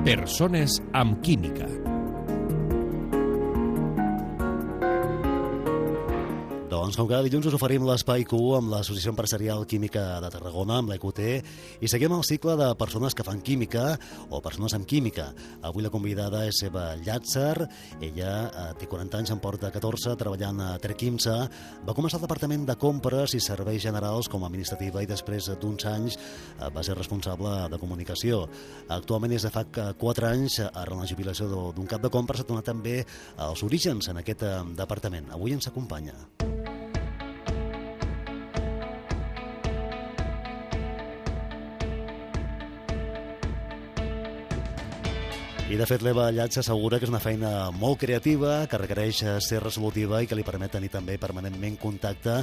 Persones amb química. Doncs com cada dilluns us oferim l'Espai Q amb l'Associació Empresarial Química de Tarragona, amb l'EQT, i seguim el cicle de persones que fan química o persones amb química. Avui la convidada és Eva Llàtzer. Ella té 40 anys, en porta 14, treballant a Terquimsa. Va començar al Departament de Compres i Serveis Generals com a administrativa i després d'uns anys va ser responsable de comunicació. Actualment és de fa 4 anys, arran la jubilació d'un cap de compres, ha donat també els orígens en aquest departament. Avui ens acompanya. I, de fet, l'Eva Llàtzer assegura que és una feina molt creativa, que requereix ser resolutiva i que li permet tenir també permanentment contacte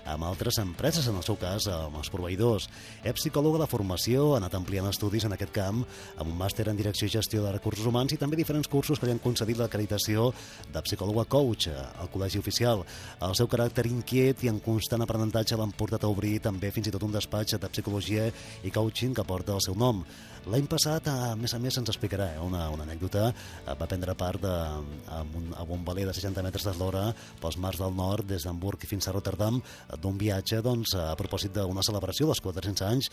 amb altres empreses, en el seu cas, amb els proveïdors. És psicòloga de formació, ha anat ampliant estudis en aquest camp, amb un màster en Direcció i Gestió de Recursos Humans i també diferents cursos que li han concedit l'acreditació de psicòloga coach al Col·legi Oficial. El seu caràcter inquiet i en constant aprenentatge l'han portat a obrir també fins i tot un despatx de psicologia i coaching que porta el seu nom. L'any passat, a més, ens explicarà una anècdota. Va prendre part a un veler de 60 metres d'eslora pels mars del nord, des d'Hamburg fins a Rotterdam, d'un viatge a propòsit d'una celebració dels 400 anys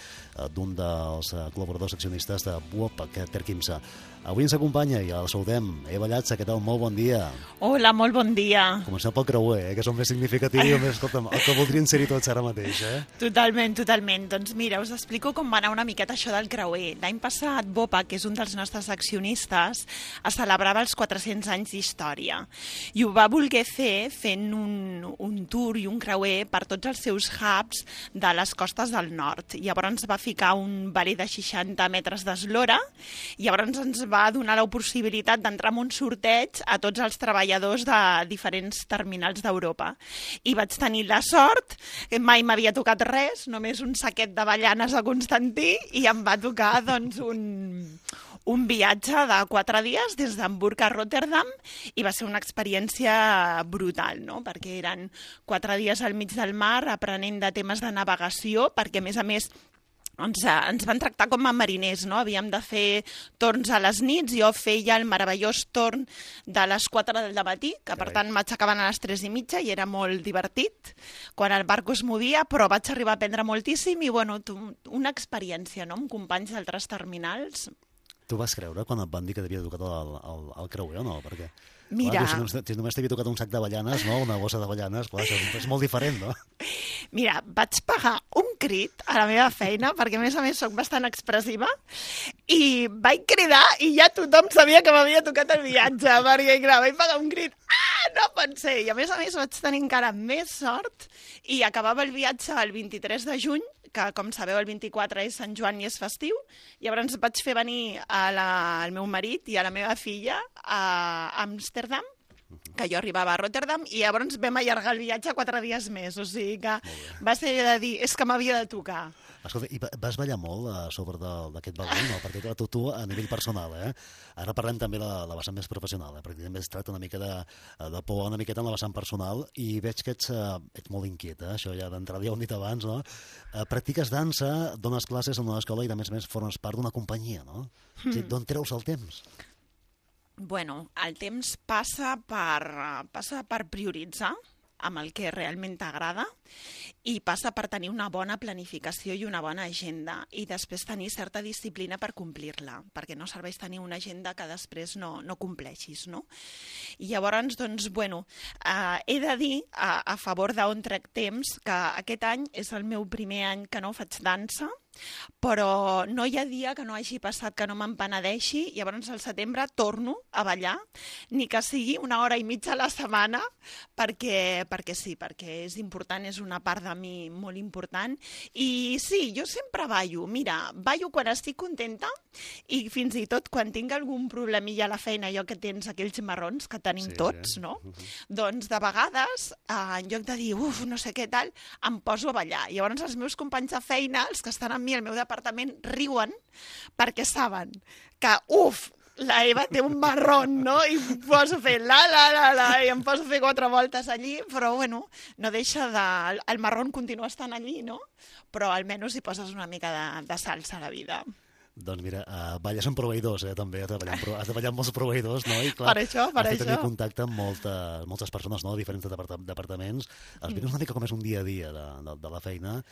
d'un dels col·laboradors accionistes de Buop, Terquimsa. Avui ens acompanya i el saludem. Eva Llàtzer, què tal? Molt bon dia. Hola, molt bon dia. Comencem pel creuer, que és el més significatiu i escolta'm, el que voldrien ser-hi tots ara mateix. Totalment. Doncs mira, us explico com va anar una miqueta això del creuer. L'any passat, Bopa, que és un dels nostres accionistes, es celebrava els 400 anys d'història. I ho va voler fer fent un tour i un creuer per tots els seus hubs de les costes del nord. Llavors va ficar un veler de 60 metres d'eslora i llavors ens va donar la possibilitat d'entrar en un sorteig a tots els treballadors de diferents terminals d'Europa. I vaig tenir la sort, que mai m'havia tocat res, només un saquet d'avellanes a Constantí, i em va tocar doncs, un viatge de 4 dies des d'Hamburg a Rotterdam i va ser una experiència brutal, no? Perquè eren 4 dies al mig del mar aprenent de temes de navegació, perquè a més ens van tractar com a mariners, no? Havíem de fer torns a les nits. Jo feia el meravellós torn de les 4 del matí, que per tant m'aixecaven a les 3:30 i era molt divertit quan el barco es movia, però vaig arribar a aprendre moltíssim i una experiència, no? Amb companys d'altres terminals. Tu vas creure quan et van dir que t'havia tocat el creuer o no? Perquè, mira, si només t'havia tocat un sac d'avellanes, no? Una bossa d'avellanes, això és molt diferent, no? Mira, vaig pegar un crit a la meva feina, perquè a més soc bastant expressiva, i vaig cridar i ja tothom sabia que m'havia tocat el viatge, perquè clar, vaig pegar un crit, no pot ser! I a més vaig tenir encara més sort i acabava el viatge el 23 de juny, que com sabeu el 24 és Sant Joan i és festiu, i llavors vaig fer venir al meu marit i a la meva filla a Amsterdam, que jo arribava a Rotterdam, i llavors vam allargar el viatge 4 dies més, o sigui que va ser de dir, és que m'havia de tocar. Escolta, i vas ballar molt a sobre d'aquest balon, no? Perquè tu a nivell personal, Ara parlem també de la vessant més professional, perquè també es tracta una mica de por, una miqueta en la vessant personal, i veig que ets molt inquiet, això ja d'entrada ja ho hem dit abans, no? Practiques dansa, dones classes en una escola i a més formes part d'una companyia, no? O sigui, d'on treus el temps? Bueno, el temps passa per prioritzar amb el que realment t'agrada i passa per tenir una bona planificació i una bona agenda i després tenir certa disciplina per complir-la, perquè no serveix tenir una agenda que després no compleixis, no? I llavors, doncs, he de dir, a favor d'on trec temps, que aquest any és el meu primer any que no faig dansa, però no hi ha dia que no hagi passat que no me'n penedeixi. Llavors al setembre torno a ballar, ni que sigui 1 hora i mitja a la setmana, perquè és important, és una part de mi molt important. I sí, jo sempre ballo. Mira, ballo quan estic contenta i fins i tot quan tinc algun problemilla a la feina, allò que tens aquells marrons que tenim tots, no? Doncs de vegades, en lloc de dir, no sé què tal, em poso a ballar. Llavors els meus companys de feina, els que estan amb mi al meu departament, riuen perquè saben que, la Eva té un marrón, no? I em poso a fer i em poso a fer 4 voltes allí, però no deixa el marrón continua estant allí, no? Però almenys hi poses una mica de salsa a la vida. Doncs mira, balles amb proveïdors, també, has de ballar amb molts proveïdors, no? I clar, per això. has de tenir contacte amb moltes persones, no?, diferents departaments. Explica'ns una mica com és un dia a dia de la feina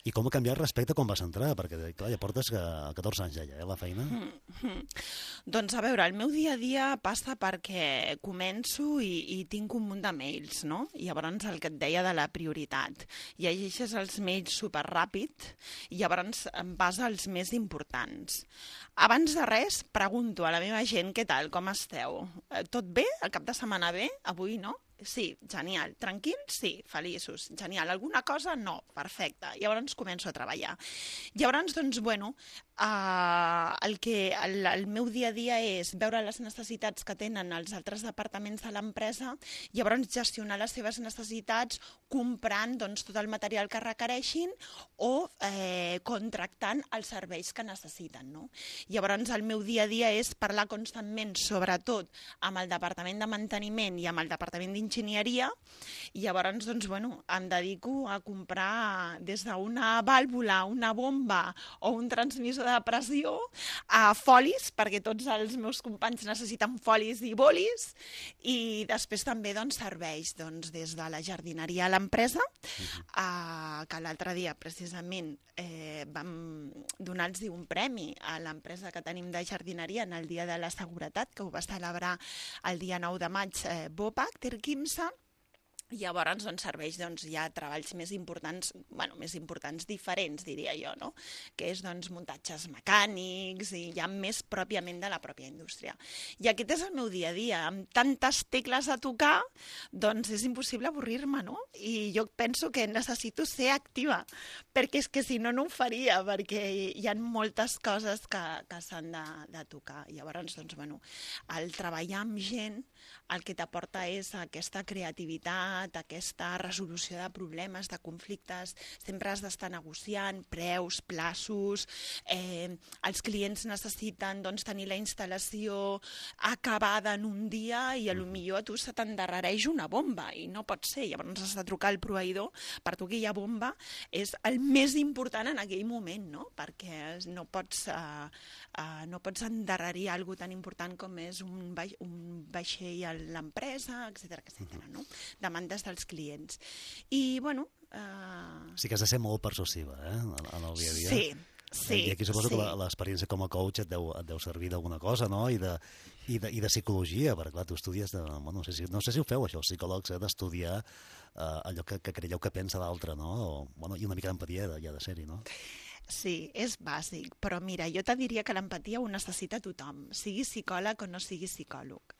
i com ha canviat respecte a quan vas entrar, perquè clar, ja portes 14 anys ja, la feina. Doncs a veure, el meu dia a dia passa perquè començo i tinc un munt de mails, no? I llavors el que et deia de la prioritat. Llegeixes els mails superràpid i llavors em vas als més importants. Abans de res, pregunto a la meva gent què tal, com esteu? Tot bé? El cap de setmana bé? Avui no? Sí, genial. Tranquils? Sí, feliços. Genial. Alguna cosa? No. Perfecte. Llavors començo a treballar. Llavors, doncs, bueno, el meu dia a dia és veure les necessitats que tenen els altres departaments de l'empresa, llavors gestionar les seves necessitats comprant doncs, tot el material que requereixin o contractant els serveis que necessiten. No? Llavors, el meu dia a dia és parlar constantment, sobretot amb el departament de manteniment i amb el departament d'enginyeria, i llavors doncs, bueno, em dedico a comprar des d'una vàlvula, una bomba o un transmissor de pressió a folis, perquè tots els meus companys necessiten folis i bolis, i després també doncs, serveis doncs, des de la jardineria a l'empresa, que l'altre dia precisament vam donar-los un premi a l'empresa que tenim de jardineria en el Dia de la Seguretat, que ho va celebrar el dia 9 de maig BOPAC, Terquimsa. Llavors, doncs, serveis, doncs, hi ha treballs més importants, diferents, diria jo, no? Que és, doncs, muntatges mecànics i ja més pròpiament de la pròpia indústria. I aquest és el meu dia a dia. Amb tantes tecles a tocar, doncs és impossible avorrir-me, no? I jo penso que necessito ser activa, perquè és que si no, no ho faria, perquè hi ha moltes coses que s'han de tocar. Llavors, doncs, bueno, el treballar amb gent el que t'aporta és aquesta creativitat, aquesta resolució de problemes, de conflictes, sempre has d'estar negociant preus, plaços, els clients necessiten doncs, tenir la instal·lació acabada en un dia i potser a tu se t'endarrereix una bomba i no pot ser, llavors has de trucar al proveïdor, per tu aquella bomba és el més important en aquell moment, no? Perquè no pots endarrerir alguna tan important com és un vaixell a l'empresa, etc. No? Demandes dels clients. I, bueno... Sí que has de ser molt persuasiva, en el dia a dia. Sí. I aquí suposo que l'experiència com a coach et deu servir d'alguna cosa, no? I de psicologia, perquè clar, tu estudies no sé si ho feu això, els psicòlegs, d'estudiar allò que creieu que pensa l'altre, no? I una mica d'empatia ja de ser-hi, no? Sí, és bàsic, però mira, jo te diria que l'empatia ho necessita tothom, sigui psicòleg o no sigui psicòleg.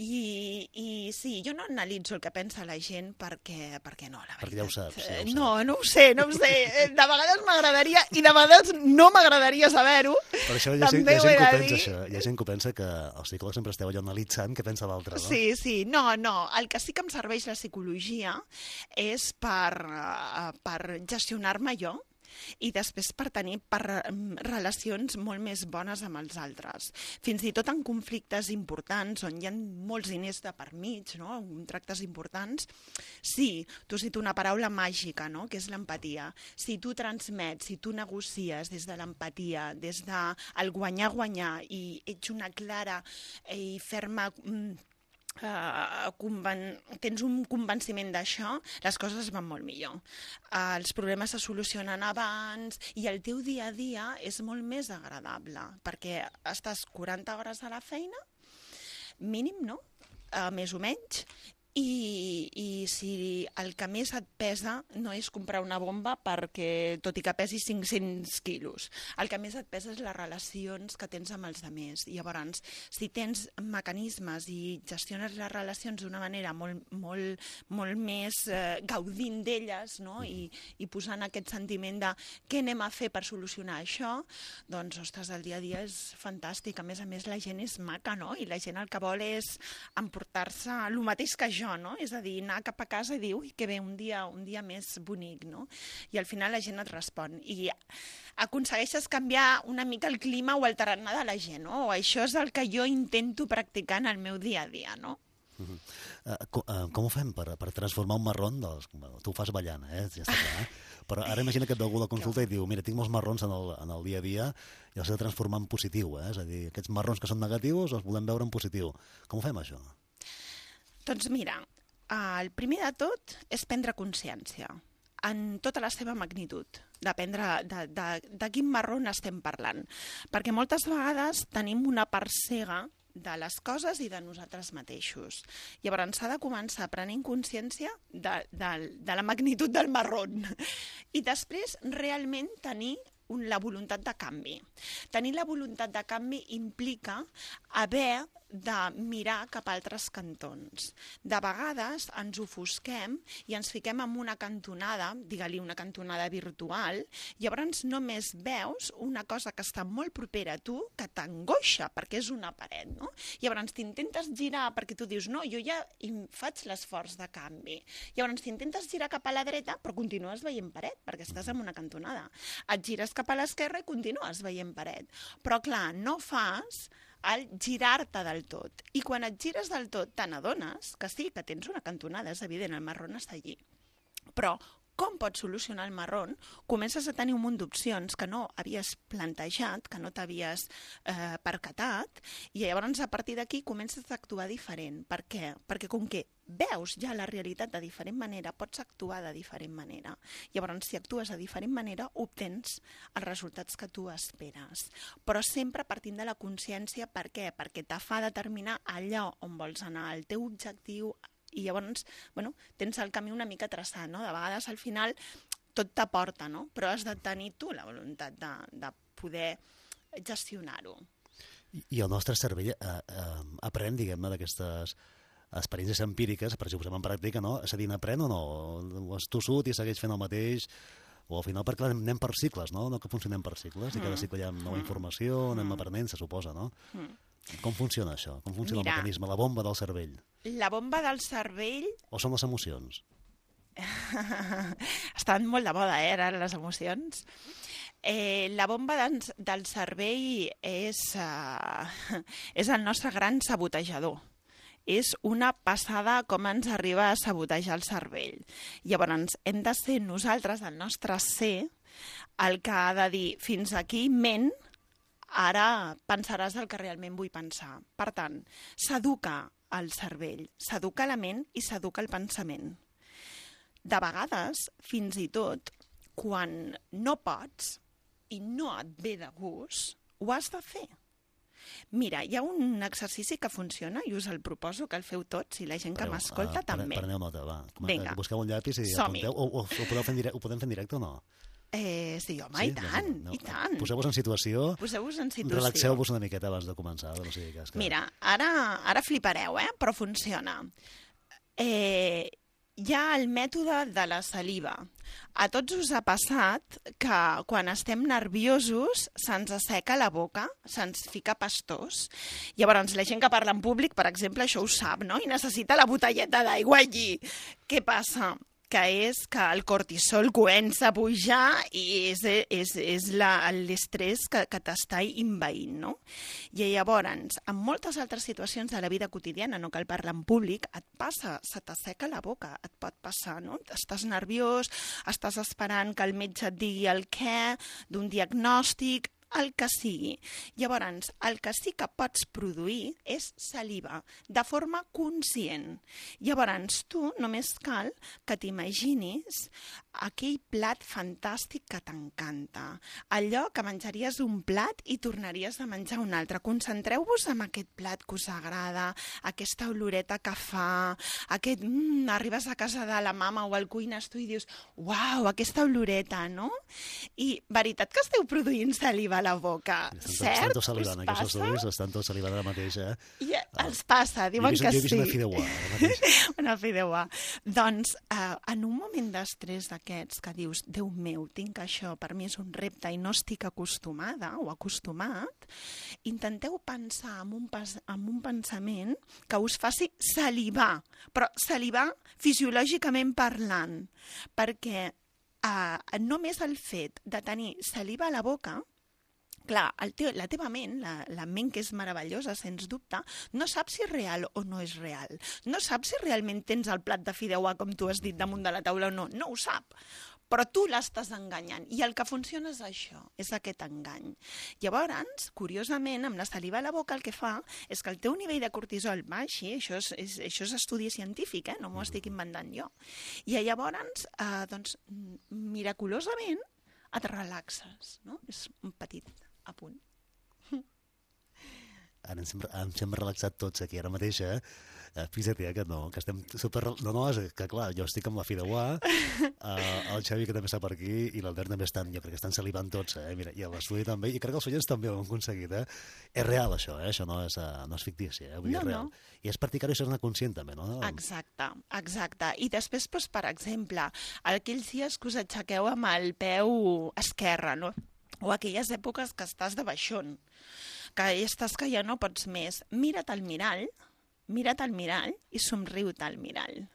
I sí, jo no analitzo el que pensa la gent perquè no, la veritat. Perquè ja ho saps. No ho sé. De vegades m'agradaria i de vegades no m'agradaria saber-ho. Per això hi ha gent que ho pensa això. Hi ha gent que pensa que els psicòlegs sempre esteu allò analitzant què pensa l'altre, no? Sí. No. El que sí que em serveix la psicologia és per gestionar-me jo, i després per tenir relacions molt més bones amb els altres. Fins i tot en conflictes importants, on hi ha molts diners de per mig, no? Contractes importants, sí, tu cito una paraula màgica, no? Que és l'empatia. Si tu transmets, si tu negocies des de l'empatia, des del guanyar-guanyar, i ets una clara i ferma... tens un convenciment d'això, les coses van molt millor. Els problemes se solucionen abans i el teu dia a dia és molt més agradable, perquè estàs 40 hores a la feina, mínim, no? Més o menys, i si el que més et pesa no és comprar una bomba perquè, tot i que pesi 500 quilos, el que més et pesa és les relacions que tens amb els altres. Llavors, si tens mecanismes i gestiones les relacions d'una manera molt més gaudint d'elles, no? I posant aquest sentiment de què anem a fer per solucionar això, doncs, ostres, el dia a dia és fantàstic. A més, la gent és maca, no? I la gent el que vol és emportar-se el mateix que jo, no? És a dir, anar cap a casa i dir, ui, que bé, un dia més bonic, no? I al final la gent et respon. I aconsegueixes canviar una mica el clima o el tarannà de la gent, no? Això és el que jo intento practicar en el meu dia a dia, no? Com ho fem per transformar un marrón? Tu ho fas ballant, ja està clar. Però ara imagina que et ve algú a la consulta i diu mira, tinc molts marrons en el dia a dia i els he de transformar en positiu. És a dir, aquests marrons que són negatius els volem veure en positiu. Com ho fem, això? Doncs mira, el primer de tot és prendre consciència en tota la seva magnitud, de quin marrón estem parlant. Perquè moltes vegades tenim una part cega de les coses i de nosaltres mateixos. Llavors s'ha de començar prenent consciència de la magnitud del marrón i després realment tenir la voluntat de canvi. Tenir la voluntat de canvi implica haver de mirar cap a altres cantons. De vegades ens ofusquem i ens fiquem en una cantonada, digue-li una cantonada virtual, llavors només veus una cosa que està molt propera a tu, que t'angoixa, perquè és una paret, no? Llavors t'intentes girar perquè tu dius, no, jo ja faig l'esforç de canvi. Llavors t'intentes girar cap a la dreta, però continues veient paret, perquè estàs en una cantonada. Et gires cap a l'esquerra i continues veient paret. Però clar, no fas al girar-te del tot. I quan et gires del tot te n'adones que sí, que tens una cantonada, és evident, el marrón està allí. Però com pots solucionar el marrón? Comences a tenir un munt d'opcions que no havies plantejat, que no t'havies percatat, i llavors a partir d'aquí comences a actuar diferent. Per què? Perquè com que veus ja la realitat de diferent manera, pots actuar de diferent manera. Llavors, si actues de diferent manera, obtens els resultats que tu esperes. Però sempre partint de la consciència, per què? Perquè te fa determinar allò on vols anar, el teu objectiu, i llavors, bueno, tens el camí una mica traçat, no? De vegades, al final, tot t'aporta, no? Però has de tenir tu la voluntat de poder gestionar-ho. I el nostre cervell aprèn, diguem-ne, d'aquestes experiències empíriques, per si ho posem en pràctica, no? És a dir, n'aprèn o no? O és tossut i segueix fent el mateix? O al final, perquè anem per cicles, no? No que funcionem per cicles, i cada cicle hi ha nova informació, anem aprenent, se suposa, no? Com funciona això? Com funciona el mecanisme, la bomba del cervell? La bomba del cervell... O són les emocions? Estan molt de moda, ara, les emocions. La bomba del cervell és el nostre gran sabotejador. És una passada com ens arriba a sabotejar el cervell. Llavors, hem de ser nosaltres, el nostre ser, el que ha de dir fins aquí, ment, ara pensaràs el que realment vull pensar. Per tant, s'educa el cervell, s'educa la ment i s'educa el pensament. De vegades, fins i tot, quan no pots i no et ve de gust, ho has de fer. Mira, hi ha un exercici que funciona i us el proposo que el feu tots i la gent que m'escolta també. Preneu nota, va. Vinga. Busqueu un llapis i apunteu. O ho podem fer en directe o no? Sí, home, i tant, i tant. Poseu-vos en situació. Relaxeu-vos una miqueta abans de començar. Mira, ara flipareu, però funciona. Hi ha el mètode de la saliva. A tots us ha passat que quan estem nerviosos se'ns asseca la boca, se'ns fica pastós. Llavors, la gent que parla en públic, per exemple, això ho sap, no? I necessita la botelleta d'aigua allí. Què passa? Que és que el cortisol comença a pujar i és l'estrès que t'està invaint, no? I llavors, en moltes altres situacions de la vida quotidiana, no cal parlar en públic, et passa, se t'asseca la boca, et pot passar, no? Estàs nerviós, estàs esperant que el metge et digui el què d'un diagnòstic, el que sigui. Llavors, el que sí que pots produir és saliva, de forma conscient. Llavors, tu només cal que t'imaginis aquell plat fantàstic que t'encanta. Allò que menjaries un plat i tornaries a menjar un altre. Concentreu-vos en aquest plat que us agrada, aquesta oloreta que fa, aquest... arribes a casa de la mama o al cuines tu i dius, uau, aquesta oloreta, no? I veritat que esteu produint saliva a la boca, cert? Estan tots salivant, aquests estudis, estan tots salivant ara mateix, I els passa, diuen que sí. Jo he vist una fideuà, ara mateix. Una fideuà. Doncs, en un moment d'estrès d'aquests que dius, Déu meu, tinc això, per mi és un repte i no estic acostumada o acostumat, intenteu pensar en un pensament que us faci salivar, però salivar fisiològicament parlant, perquè només el fet de tenir saliva a la boca clar, la teva ment, la ment que és meravellosa, sens dubte, no sap si és real o no és real. No sap si realment tens el plat de fideuà, com tu has dit, damunt de la taula o no. No ho sap. Però tu l'estàs enganyant. I el que funciona és això, és aquest engany. Llavors, curiosament, amb la saliva a la boca el que fa és que el teu nivell de cortisol baixi, això és estudi científic, no m'ho estic inventant jo. I llavors, doncs, miraculosament, et relaxes, no? És un petit apunt. Ara ens hem relaxat tots aquí ara mateix, fixa't, que no, que estem super... No, és que clar, jo estic amb la fideuà, el Xavi que també està per aquí, i l'Albert també estan, jo crec que estan salivant tots, mira, i l'estudi també, i crec que els oients també ho han aconseguit, És real això, això no és fictici, vull dir, és real. I és practicar-ho i ser-ne conscient també, no? Exacte. I després, doncs, per exemple, aquells dies que us aixequeu amb el peu esquerre, no? O aquelles èpoques que estàs de baixón, que estàs que ja no pots més. Mira't al mirall i somriu-te al mirall.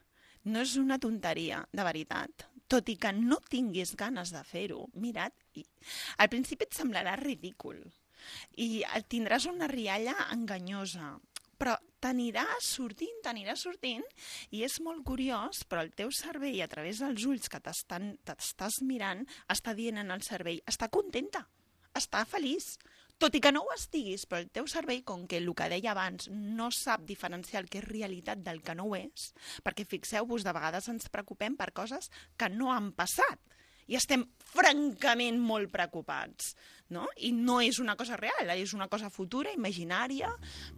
No és una tonteria, de veritat. Tot i que no tinguis ganes de fer-ho, mira't. Al principi et semblarà ridícul i tindràs una rialla enganyosa, però t'anirà sortint, i és molt curiós, però el teu cervell, a través dels ulls que t'estàs mirant, està dient en el cervell, està contenta, està feliç, tot i que no ho estiguis, però el teu cervell, com que el que deia abans no sap diferenciar el que és realitat del que no ho és, perquè fixeu-vos, de vegades ens preocupem per coses que no han passat, i estem francament molt preocupats, no? I no és una cosa real, és una cosa futura, imaginària,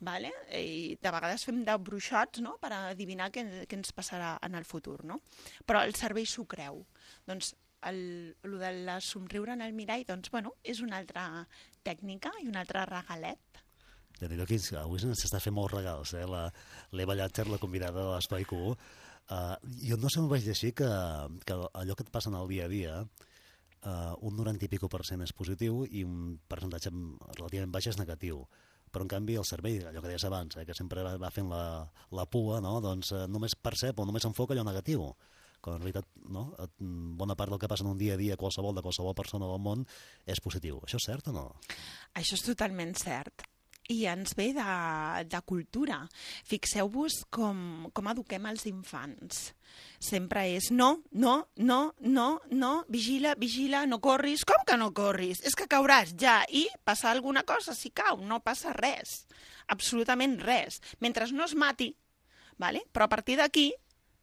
¿vale? I de vegades fem de bruixots, no?, per adivinar què ens passarà en el futur, no? Però el cervell s'ho creu. Doncs el de somriure en el mirall, doncs, bueno, és una altra tècnica i un altre regalet. Avui s'està fent molts regals, l'Eva Llàcer, la convidada de l'Espai Q. Jo no sé, m'ho vaig llegir que allò que et passa en el dia a dia, un 90 i pico % és positiu i un percentatge relativament baix és negatiu. Però, en canvi, el cervell, allò que deies abans, que sempre va fent la pua, no? Doncs només percep o només enfoca allò negatiu. Quan en realitat, no? Bona part del que passa en un dia a dia de qualsevol persona del món és positiu. Això és cert o no? Això és totalment cert. I ens ve de cultura. Fixeu-vos com eduquem els infants. Sempre és no, vigila, no corris. Com que no corris? És que cauràs ja i passa alguna cosa si cau, no passa res. Absolutament res. Mentre no es mati, ¿vale? Però a partir d'aquí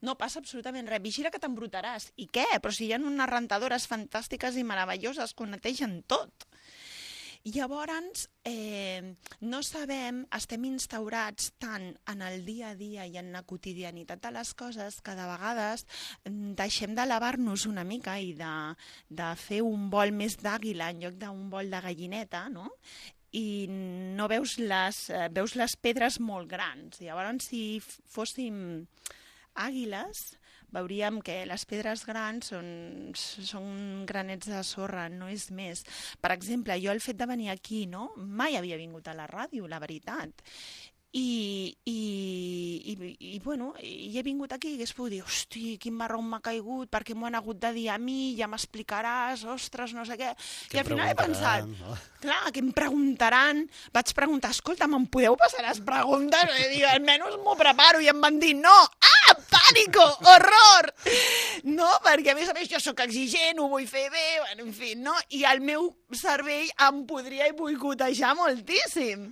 no passa absolutament res. Vigila que t'embrutaràs. I què? Però si hi ha unes rentadores fantàstiques i meravelloses que ho netegen tot. Llavors, no sabem, estem instaurats tant en el dia a dia i en la quotidianitat de les coses que de vegades deixem d'elevar-nos una mica i de fer un vol més d'àguila en lloc d'un vol de gallineta, no? I no veus les pedres molt grans. Llavors, si fóssim àguiles, veuríem que les pedres grans són granets de sorra, no és més. Per exemple, jo el fet de venir aquí, no? Mai havia vingut a la ràdio, la veritat. I bueno, he vingut aquí i hagués pogut dir, hosti, quin marrón m'ha caigut, perquè m'ho han hagut de dir a mi, ja m'explicaràs, ostres, no sé què. I al final he pensat, clar, què em preguntaran? Vaig preguntar, escolta, me'n podeu passar les preguntes? I dic, almenys m'ho preparo, i em van dir, no! Ah, pànico, horror! No, perquè a més jo sóc exigent, ho vull fer bé, bueno, en fi, no? I el meu cervell em podria boicotejar moltíssim.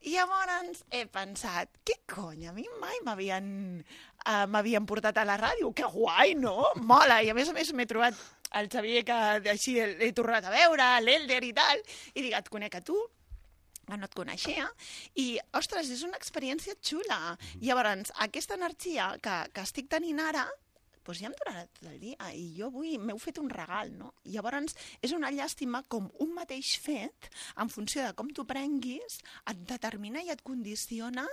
I llavors he pensat, què cony, a mi mai m'havien portat a la ràdio, que guai, no? Mola, i a més m'he trobat el Xavier, que així l'he tornat a veure, l'Elder i tal, i dic, et conec a tu, que no et coneixia, i, ostres, és una experiència xula. Llavors, aquesta energia que estic tenint ara, doncs ja em durarà tot el dia, i jo avui m'heu fet un regal, no? Llavors, és una llàstima com un mateix fet, en funció de com t'ho prenguis, et determina i et condiciona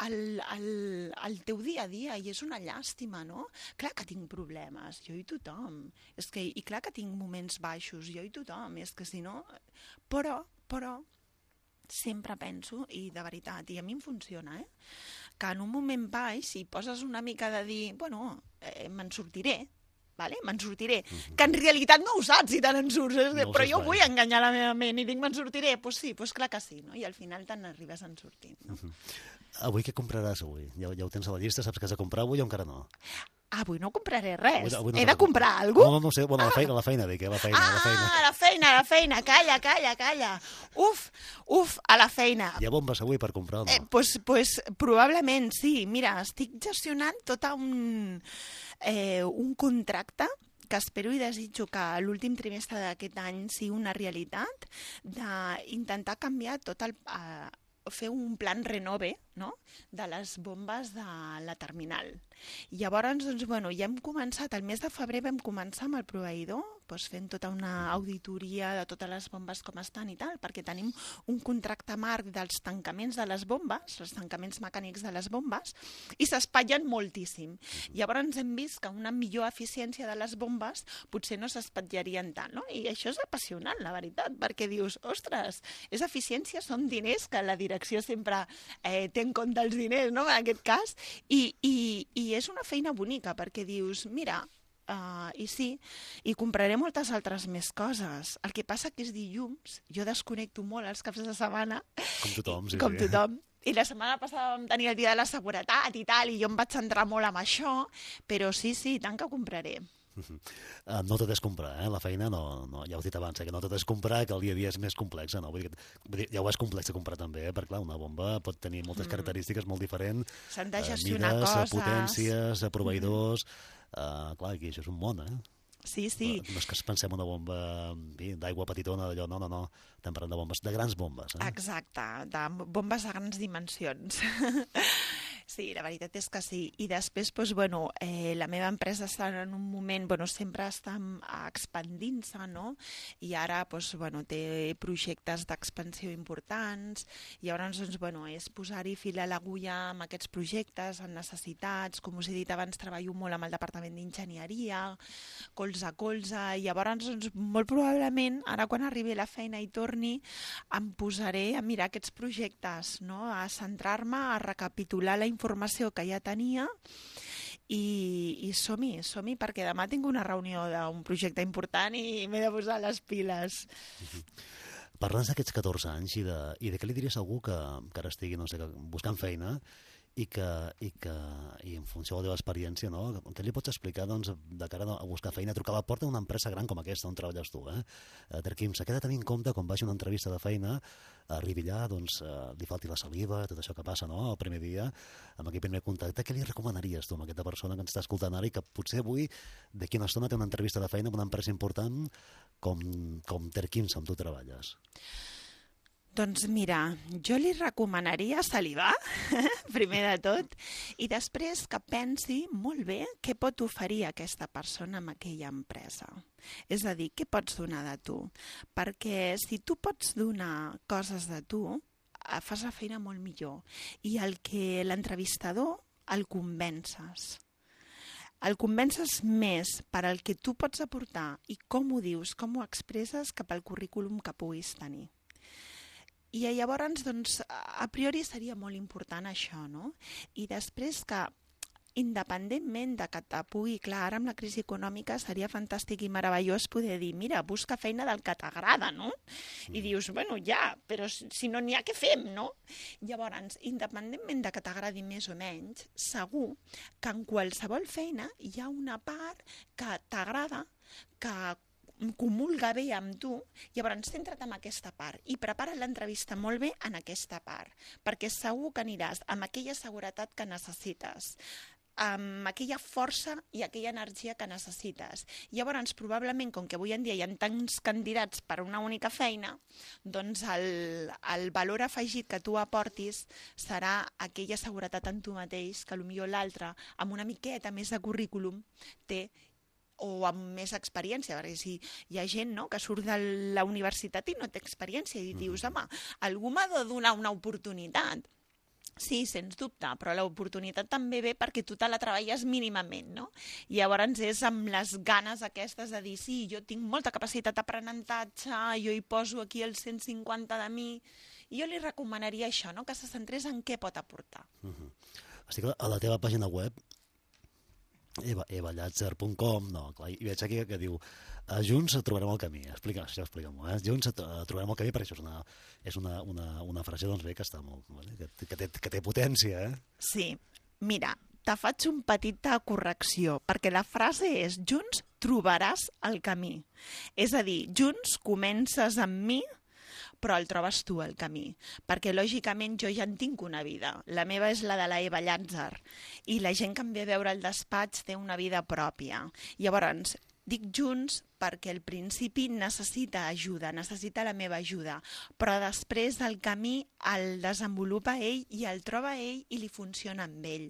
el teu dia a dia, i és una llàstima, no? Clar que tinc problemes, jo i tothom, i clar que tinc moments baixos, jo i tothom, és que si no... Però, sempre penso, i de veritat, i a mi em funciona, que en un moment baix, si poses una mica de dir, bueno, me'n sortiré, vale? Me'n sortiré. Que en realitat no ho saps si te n'en surts, No ho però saps jo mai. vull enganyar la meva ment i dic me'n sortiré. Doncs sí, doncs clar que sí, no? I al final te n'arribes en sortint. No? Avui què compraràs avui? Ja ho tens a la llista? Saps que has de comprar avui o encara no? Avui no compraré res. Avui no He t'ha de comprar alguna cosa? No sé, bueno, a la feina, dic, la feina. La feina. Calla. Uf, a la feina. Hi ha bombes avui per comprar o no? Pues probablement sí. Mira, estic gestionant tot un contracte que espero i desitjo que l'últim trimestre d'aquest any sigui una realitat, d'intentar canviar tot fer un plan renove, no?, de les bombes de la terminal. Llavors, doncs, bueno, ja hem començat, el mes de febrer vam començar amb el proveïdor, doncs fent tota una auditoria de totes les bombes com estan i tal, perquè tenim un contracte marc dels tancaments de les bombes, els tancaments mecànics de les bombes, i s'espatllen moltíssim. Llavors hem vist que una millor eficiència de les bombes potser no s'espatllarien tant, no? I això és apassionant, la veritat, perquè dius, ostres, és eficiència, són diners que la direcció sempre té en compte els diners, no?, en aquest cas, i és una feina bonica, perquè dius, mira, i sí, i compraré moltes altres més coses. El que passa que és dilluns, jo desconnecto molt els caps de setmana. Com tothom, sí. Com tothom. I la setmana passada vam tenir el dia de la seguretat i tal, i jo em vaig centrar molt en això, però sí, tant que compraré. No tot és comprar, la feina no, ja ho he dit abans, que no tot és comprar, que el dia a dia és més complex, no? Vull dir, ja ho és complex de comprar també, perquè clar, una bomba pot tenir moltes característiques molt diferents, s'han de gestionar mides, coses, potències, proveïdors, clar, aquí això és un món, Sí. No és que es pensem una bomba d'aigua petitona, d'allò, no, estem parlant de bombes, de grans bombes. Exacte, de bombes de grans dimensions. Sí, la veritat és que sí. I després, doncs, bueno, la meva empresa està en un moment, bueno, sempre està expandint-se, no? I ara, doncs, bueno, té projectes d'expansió importants, i llavors, doncs, bueno, és posar-hi fil a l'agulla amb aquests projectes, amb necessitats, com us he dit abans, treballo molt amb el Departament d'Enginyeria, colze a colze, i llavors, doncs, molt probablement, ara quan arribi a la feina i torni, em posaré a mirar aquests projectes, no? A centrar-me, a recapitular la informació que ja tenia i som-hi, perquè demà tinc una reunió d'un projecte important i m'he de posar les piles. Parlant d'aquests 14 anys i de què li diries a algú que ara estigui, no sé, buscant feina i en funció de la teva experiència, no? Què li pots explicar, doncs, de cara a buscar feina, a trucar a la porta d'una empresa gran com aquesta on treballes tu, Terquims, què ha de tenir en compte quan vagi a una entrevista de feina, arribi allà, doncs, li falti la saliva, tot això que passa, no?, el primer dia, amb aquell primer contacte, què li recomanaries tu a aquesta persona que ens està escoltant ara i que potser avui, d'aquí una estona, té una entrevista de feina amb una empresa important com Terquims, on tu treballes? Doncs mira, jo li recomanaria salivar, primer de tot, i després que pensi molt bé què pot oferir aquesta persona amb aquella empresa. És a dir, què pots donar de tu? Perquè si tu pots donar coses de tu, fas la feina molt millor. I el que l'entrevistador el convences. El convences més per al que tu pots aportar i com ho dius, com ho expresses cap al currículum que puguis tenir. I llavors, doncs, a priori seria molt important això, no? I després que, independentment de que te pugui, clar, ara amb la crisi econòmica seria fantàstic i meravellós poder dir, mira, busca feina del que t'agrada, no? I dius, bueno, ja, però si no n'hi ha, què fem, no? Llavors, independentment de que t'agradi més o menys, segur que en qualsevol feina hi ha una part que t'agrada, que comulga bé amb tu, llavors centra't en aquesta part i prepara l'entrevista molt bé en aquesta part, perquè segur que aniràs amb aquella seguretat que necessites, amb aquella força i aquella energia que necessites. Llavors, probablement, com que avui en dia hi ha tants candidats per a una única feina, doncs el valor afegit que tu aportis serà aquella seguretat en tu mateix que potser l'altre, amb una miqueta més de currículum, té, o amb més experiència, perquè si hi ha gent, no?, que surt de la universitat i no té experiència i dius, home, algú m'ha de donar una oportunitat. Sí, sens dubte, però l'oportunitat també ve perquè tu te la treballes mínimament, no? I llavors és amb les ganes aquestes de dir, sí, jo tinc molta capacitat d'aprenentatge, jo hi poso aquí el 150 de mi, i jo li recomanaria això, no?, que se centrés en què pot aportar. Estic a la teva pàgina web evallazer.com, no, clar, i veig aquí que diu junts trobarem el camí, explica-m'ho, junts trobarem el camí, perquè això és una frase, doncs bé, que està molt, que té potència, Sí, mira, te faig un petita correcció, perquè la frase és junts trobaràs el camí. És a dir, junts comences amb mi, però el trobes tu, el camí. Perquè, lògicament, jo ja en tinc una vida. La meva és la de la Eva Llàtzer. I la gent que em ve a veure al despatx té una vida pròpia. Llavors, dic junts perquè al principi necessita ajuda, necessita la meva ajuda, però després el camí el desenvolupa ell i el troba ell i li funciona amb ell.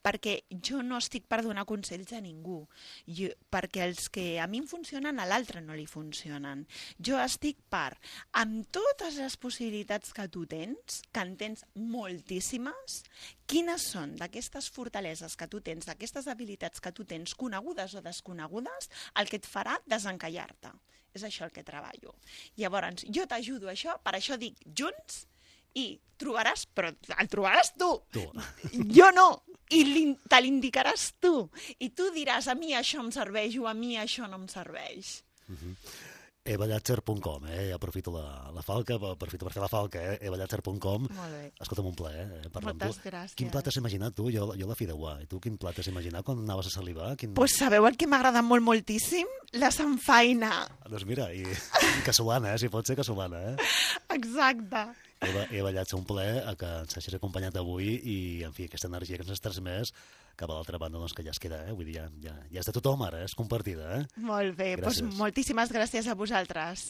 Perquè jo no estic per donar consells a ningú, perquè els que a mi em funcionen a l'altre no li funcionen. Jo estic per, amb totes les possibilitats que tu tens, que en tens moltíssimes, quines són d'aquestes fortaleses que tu tens, d'aquestes habilitats que tu tens, conegudes o desconegudes, el que et farà desencallar-te. És això el que treballo. Llavors, jo t'ajudo a això, per això dic junts, i trobaràs, però el trobaràs tu. Jo no, i te l'indicaràs tu. I tu diràs, a mi això em serveix o a mi això no em serveix. evallazer.com, aprofito la falca, aprofito per fer la falca, evallazer.com. Molt bé. Escolta'm, un plaer parlar amb tu. Moltes gràcies. Quin plat has imaginat tu? Jo la fideuà. I tu quin plat has imaginat quan anaves a salivar? Pues sabeu el que m'agrada moltíssim? La samfaina. Doncs mira, i casolana, si pot ser casolana, Exacte. Eva Llàtzer, un plaer que ens hagis acompanyat avui i, en fi, aquesta energia que ens has transmès cap a l'altra banda, doncs, que ja es queda, vull dir, ja és de tothom ara, és compartida, Molt bé, doncs moltíssimes gràcies a vosaltres.